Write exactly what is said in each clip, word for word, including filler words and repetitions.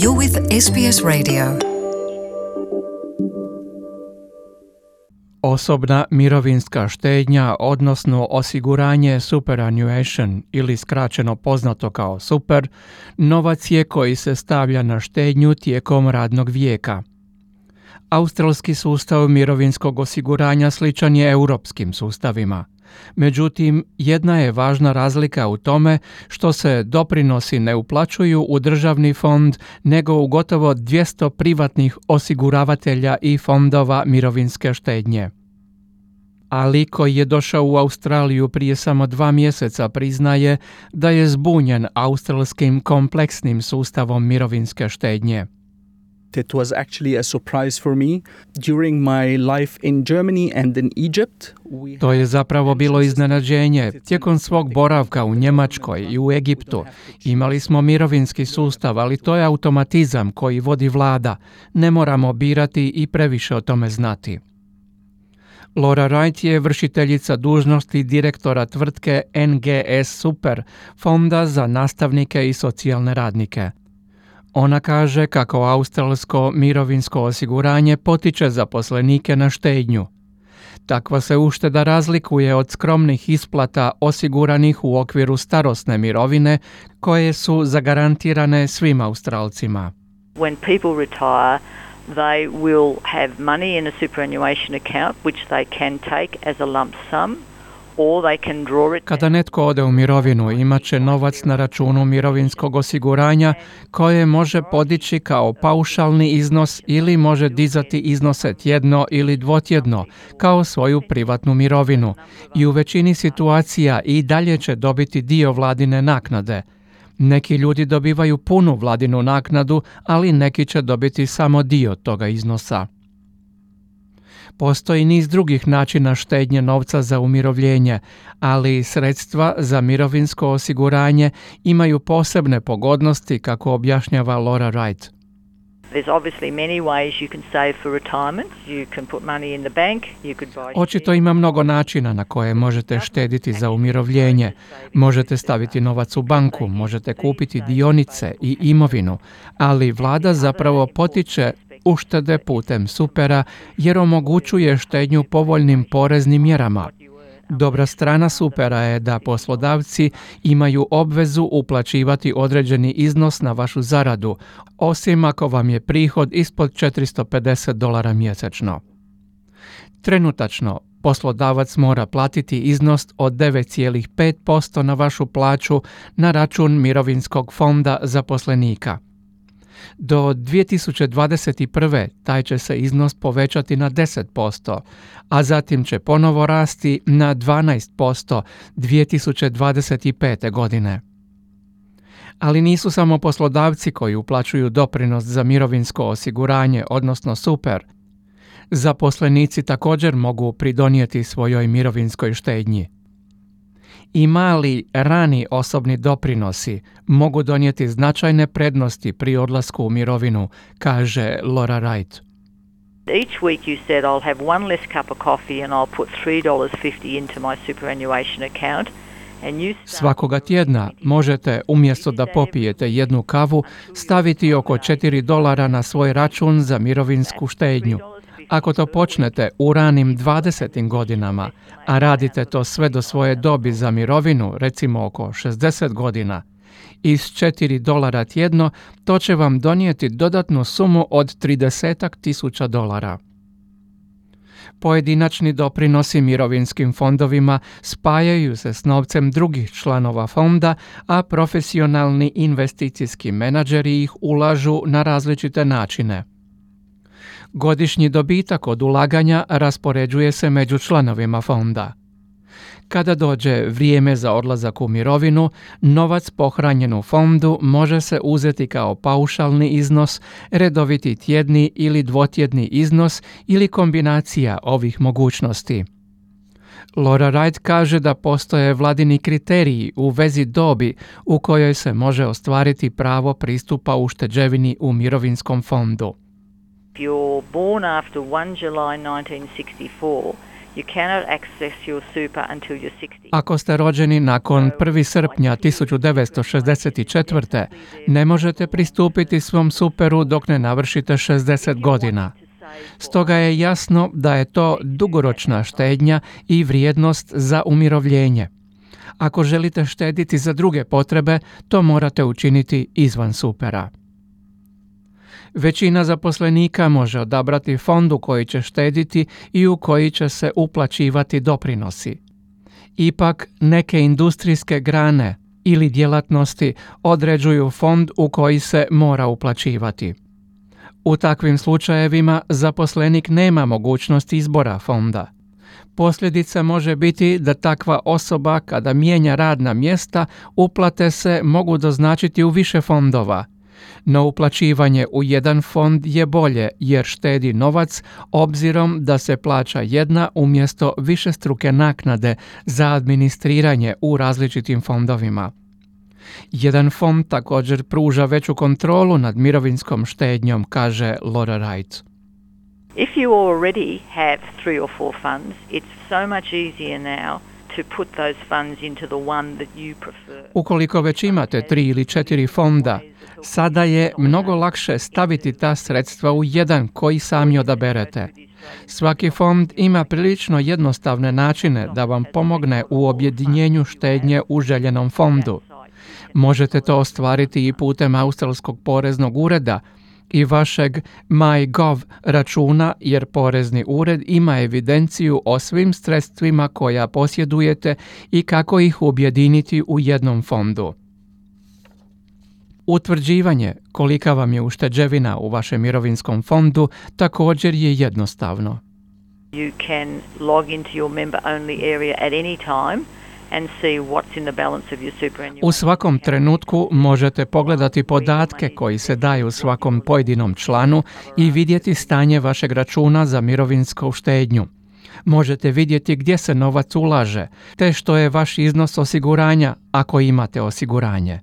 You're with S B S Radio. Osobna mirovinska štednja, odnosno osiguranje superannuation ili skraćeno poznato kao super, novac je koji se stavlja na štednju tijekom radnog vijeka. Australski sustav mirovinskog osiguranja sličan je europskim sustavima. Međutim, jedna je važna razlika u tome što se doprinosi ne uplaćuju u državni fond, nego u gotovo dvjesto privatnih osiguravatelja i fondova mirovinske štednje. Ali koji je došao u Australiju prije samo dva mjeseca priznaje da je zbunjen australskim kompleksnim sustavom mirovinske štednje. It was actually a surprise for me. During my life in Germany and in Egypt, we To je zapravo bilo iznenađenje. Tijekom svog boravka u Njemačkoj i u Egiptu imali smo mirovinski sustav, ali to je automatizam koji vodi vlada. Ne moramo birati i previše o tome znati. Laura Wright je vršiteljica dužnosti direktora tvrtke N G S Super, fonda za nastavnike i socijalne radnike. Ona kaže kako australsko mirovinsko osiguranje potiče zaposlenike na štednju. Takva se ušteda razlikuje od skromnih isplata osiguranih u okviru starosne mirovine koje su zagarantirane svim Australcima. When people retire, they will have money in a superannuation account which they can take as a lump sum. Or they can draw it. Kada netko ode u mirovinu, imat će novac na računu mirovinskog osiguranja koje može podići kao paušalni iznos ili može dizati iznose tjedno ili dvotjedno kao svoju privatnu mirovinu i u većini situacija i dalje će dobiti dio vladine naknade. Neki ljudi dobivaju punu vladinu naknadu, ali neki će dobiti samo dio toga iznosa. Postoji niz drugih načina štednje novca za umirovljenje, ali sredstva za mirovinsko osiguranje imaju posebne pogodnosti, kako objašnjava Laura Wright. There's obviously many ways you can save for retirement. You can put money in the bank, you could buy. Očito ima mnogo načina na koje možete štediti za umirovljenje. Možete staviti novac u banku, možete kupiti dionice i imovinu, ali vlada zapravo potiče uštede putem supera jer omogućuje štednju povoljnim poreznim mjerama. Dobra strana supera je da poslodavci imaju obvezu uplaćivati određeni iznos na vašu zaradu, osim ako vam je prihod ispod četiristo pedeset dolara mjesečno. Trenutačno, poslodavac mora platiti iznos od devet zarez pet posto na vašu plaću na račun mirovinskog fonda zaposlenika. Do dvije tisuće dvadeset prve. taj će se iznos povećati na deset posto, a zatim će ponovo rasti na dvanaest posto dvije tisuće dvadeset pete. godine. Ali nisu samo poslodavci koji uplaćuju doprinos za mirovinsko osiguranje, odnosno super. Zaposlenici također mogu pridonijeti svojoj mirovinskoj štednji. I mali, rani osobni doprinosi mogu donijeti značajne prednosti pri odlasku u mirovinu, kaže Laura Wright. Each week you said I'll have one less cup of coffee and I'll put three dollars fifty into my superannuation account. And you Svakoga tjedna možete, umjesto da popijete jednu kavu, staviti oko četiri dolara na svoj račun za mirovinsku štednju. Ako to počnete u ranim dvadesetim godinama, a radite to sve do svoje dobi za mirovinu, recimo oko šezdeset godina, iz četiri dolara tjedno, to će vam donijeti dodatnu sumu od trideset tisuća dolara. Pojedinačni doprinosi mirovinskim fondovima spajaju se s novcem drugih članova fonda, a profesionalni investicijski menadžeri ih ulažu na različite načine. Godišnji dobitak od ulaganja raspoređuje se među članovima fonda. Kada dođe vrijeme za odlazak u mirovinu, novac pohranjen u fondu može se uzeti kao paušalni iznos, redoviti tjedni ili dvotjedni iznos ili kombinacija ovih mogućnosti. Laura Wright kaže da postoje vladini kriteriji u vezi dobi u kojoj se može ostvariti pravo pristupa ušteđevini u mirovinskom fondu. If you're born after first of July nineteen sixty-four, You cannot access your super until you're sixty. Ako ste rođeni nakon prvog srpnja tisuću devetsto šezdeset četvrte. ne možete pristupiti svom superu dok ne navršite šezdeset godina. Stoga je jasno da je to dugoročna štednja i vrijednost za umirovljenje. Ako želite štediti za druge potrebe, to morate učiniti izvan supera. Većina zaposlenika može odabrati fond u koji će štediti i u koji će se uplaćivati doprinosi. Ipak, neke industrijske grane ili djelatnosti određuju fond u koji se mora uplaćivati. U takvim slučajevima zaposlenik nema mogućnost izbora fonda. Posljedica može biti da takva osoba kada mijenja radna mjesta, uplate se mogu doznačiti u više fondova. No uplaćivanje u jedan fond je bolje jer štedi novac obzirom da se plaća jedna umjesto višestruke naknade za administriranje u različitim fondovima. Jedan fond također pruža veću kontrolu nad mirovinskom štednjom, kaže Laura Wright. If you already have three or four funds, it's so much easier now to put those funds into the one that you prefer. Ukoliko već imate tri ili četiri fonda, sada je mnogo lakše staviti ta sredstva u jedan koji sami odaberete. Svaki fond ima prilično jednostavne načine da vam pomogne u objedinjenju štednje u željenom fondu. Možete to ostvariti i putem Australskog poreznog ureda i vašeg MyGov računa jer porezni ured ima evidenciju o svim sredstvima koja posjedujete i kako ih objediniti u jednom fondu. Utvrđivanje kolika vam je ušteđevina u vašem mirovinskom fondu također je jednostavno. You can log into your member only area at any time and see what's in the balance of your superannuation. U svakom trenutku možete pogledati podatke koji se daju svakom pojedinom članu i vidjeti stanje vašeg računa za mirovinsku štednju. Možete vidjeti gdje se novac ulaže, te što je vaš iznos osiguranja ako imate osiguranje.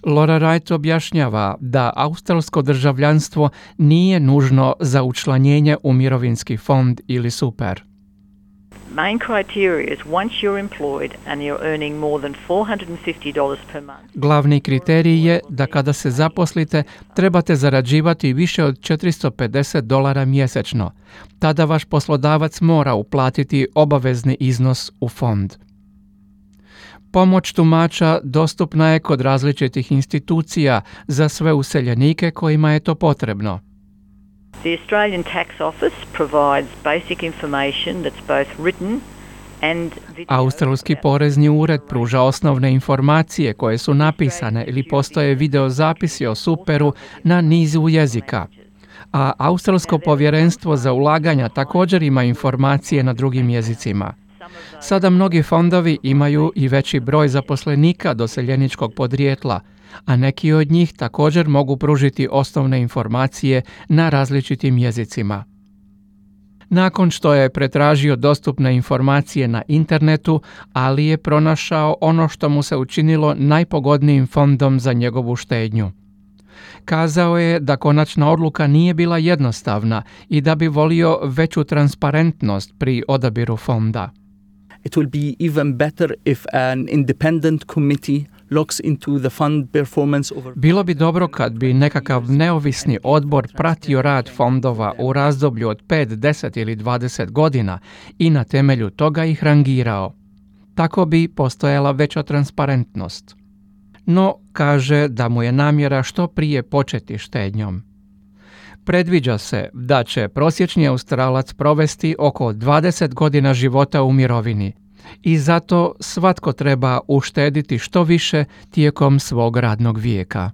Laura Wright objašnjava da australsko državljanstvo nije nužno za učlanjenje u mirovinski fond ili super. Main criteria is once you're employed and you're earning more than four hundred fifty dollars per month. Glavni kriterij je da kada se zaposlite trebate zarađivati više od četiristo pedeset dolara mjesečno. Tada vaš poslodavac mora uplatiti obavezni iznos u fond. Pomoć tumača dostupna je kod različitih institucija za sve useljenike kojima je to potrebno. The Australian Tax Office provides basic information that's both written and video. Australski porezni ured pruža osnovne informacije koje su napisane ili postoje videozapisi o superu na nizu jezika. A Australsko povjerenstvo za ulaganja također ima informacije na drugim jezicima. Sada mnogi fondovi imaju i veći broj zaposlenika doseljeničkog podrijetla, a neki od njih također mogu pružiti osnovne informacije na različitim jezicima. Nakon što je pretražio dostupne informacije na internetu, Ali je pronašao ono što mu se učinilo najpogodnijim fondom za njegovu štednju. Kazao je da konačna odluka nije bila jednostavna i da bi volio veću transparentnost pri odabiru fonda. It will be even better if an independent committee looks into the fund performance over. Bilo bi dobro kad bi nekakav neovisni odbor pratio rad fondova u razdoblju od pet, deset ili dvadeset godina i na temelju toga ih rangirao. Tako bi postojala veća transparentnost. No, kaže da mu je namjera što prije početi štednjom. Predviđa se da će prosječni Australac provesti oko dvadeset godina života u mirovini i zato svatko treba uštediti što više tijekom svog radnog vijeka.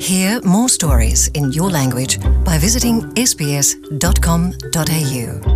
Hear more stories in your language by visiting s b s dot com dot a u.